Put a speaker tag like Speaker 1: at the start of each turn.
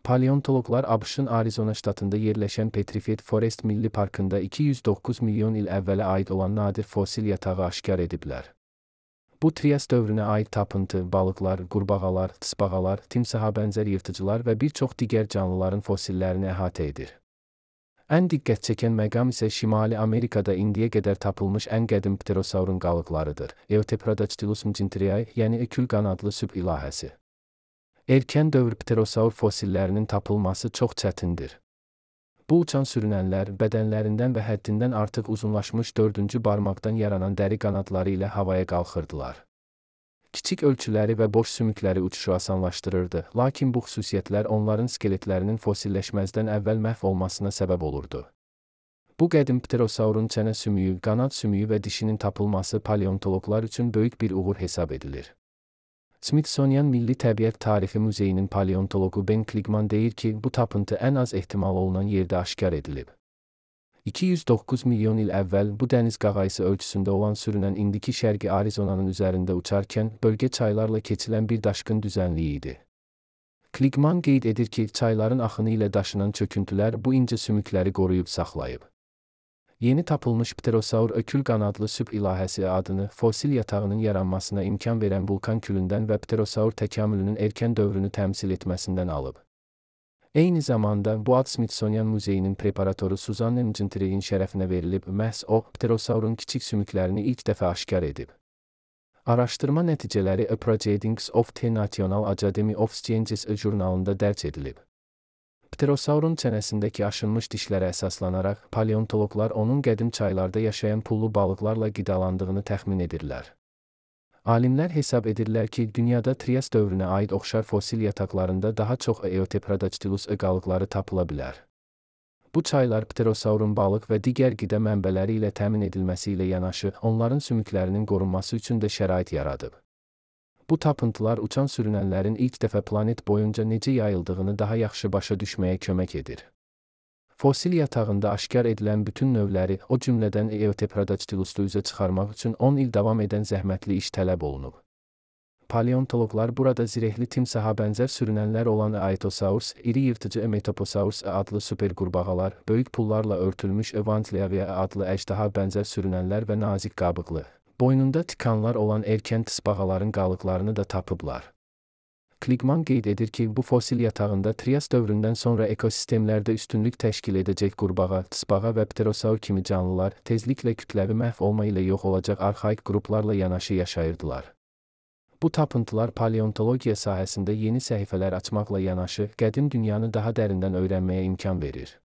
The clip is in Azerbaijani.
Speaker 1: Paleontologlar ABŞ-ın Arizona ştatında yerləşən Petrified Forest Milli Parkında 209 milyon il əvvələ aid olan nadir fosil yatağı aşkar ediblər. Bu Trias dövrünə aid tapıntı, balıqlar, qurbağalar, tısbağalar, timsaha bənzər yırtıcılar və bir çox digər canlıların fosillerini əhatə edir. Ən diqqət çəkən məqam isə Şimali Amerikada indiyə qədər tapılmış ən qədim pterosaurun qalıqlarıdır. Eutepradactylus mcintriae, yəni ökül qanadlı süb ilahəsi. Erkən dövr pterosaur fosillərinin tapılması çox çətindir. Bu uçan sürünənlər bədənlərindən və həddindən artıq uzunlaşmış dördüncü barmaqdan yaranan dəri qanadları ilə havaya qalxırdılar. Kiçik ölçüləri və boş sümükləri uçuşu asanlaşdırırdı, lakin bu xüsusiyyətlər onların skeletlərinin fosilləşməzdən əvvəl məhv olmasına səbəb olurdu. Bu qədim pterosaurun çənə sümüyü, qanad sümüyü və dişinin tapılması paleontologlar üçün böyük bir uğur hesab edilir. Smithsonian Milli Təbiət Tarixi Muzeyinin paleontologu Ben Kligman deyir ki, bu tapıntı ən az ehtimal olunan yerdə aşkar edilib. 209 milyon il əvvəl bu dəniz qağayısı ölçüsündə olan sürünən indiki şərqi Arizonanın üzərində uçarkən bölgə çaylarla keçilən bir daşqın düzənliyi idi. Kligman qeyd edir ki, çayların axını ilə daşınan çöküntülər bu incə sümükləri qoruyub saxlayıb. Yeni tapılmış pterosaur ökül qanadlı süb ilahəsi adını fosil yatağının yaranmasına imkan verən vulkan külündən və pterosaur təkamülünün erkən dövrünü təmsil etməsindən alıb. Eyni zamanda bu ad Smithsonian Muzeyinin preparatoru Suzanne Mcintriae'in şərəfinə verilib, məhz o, pterosaurun kiçik sümüklərini ilk dəfə aşkar edib. Araşdırma nəticələri A Proceedings of the National Academy of Sciences jurnalında dərc edilib. Pterosaurun çənəsindəki aşınmış dişlərə əsaslanaraq, paleontologlar onun qədim çaylarda yaşayan pullu balıqlarla qidalandığını təxmin edirlər. Alimlər hesab edirlər ki, dünyada Trias dövrünə aid oxşar fosil yataqlarında daha çox Eutepradactylus qalıqları tapıla bilər. Bu çaylar pterosaurun balıq və digər qida mənbələri ilə təmin edilməsi ilə yanaşı, onların sümüklərinin qorunması üçün də şərait yaradıb. Bu tapıntılar uçan sürünənlərin ilk dəfə planet boyunca necə yayıldığını daha yaxşı başa düşməyə kömək edir. Fosil yatağında aşkar edilən bütün növləri, o cümlədən Eutepradactylus'u üzə çıxarmaq üçün 10 il davam edən zəhmətli iş tələb olunub. Paleontologlar burada zirehli timsaha bənzər sürünənlər olan Aetosaurus, iri yırtıcı Emetoposaurus adlı super qurbağalar, böyük pullarla örtülmüş Evantliavia adlı əjdaha bənzər sürünənlər və nazik qabıqlı, boynunda tikanlar olan erkən tısbağaların qalıqlarını da tapıblar. Kligman qeyd edir ki, bu fosil yatağında Trias dövründən sonra ekosistemlərdə üstünlük təşkil edəcək qurbağa, tısbağa və pterosaur kimi canlılar tezliklə kütləvi məhv olma ilə yox olacaq arxaik qruplarla yanaşı yaşayırdılar. Bu tapıntılar paleontologiya sahəsində yeni səhifələr açmaqla yanaşı, qədim dünyanı daha dərindən öyrənməyə imkan verir.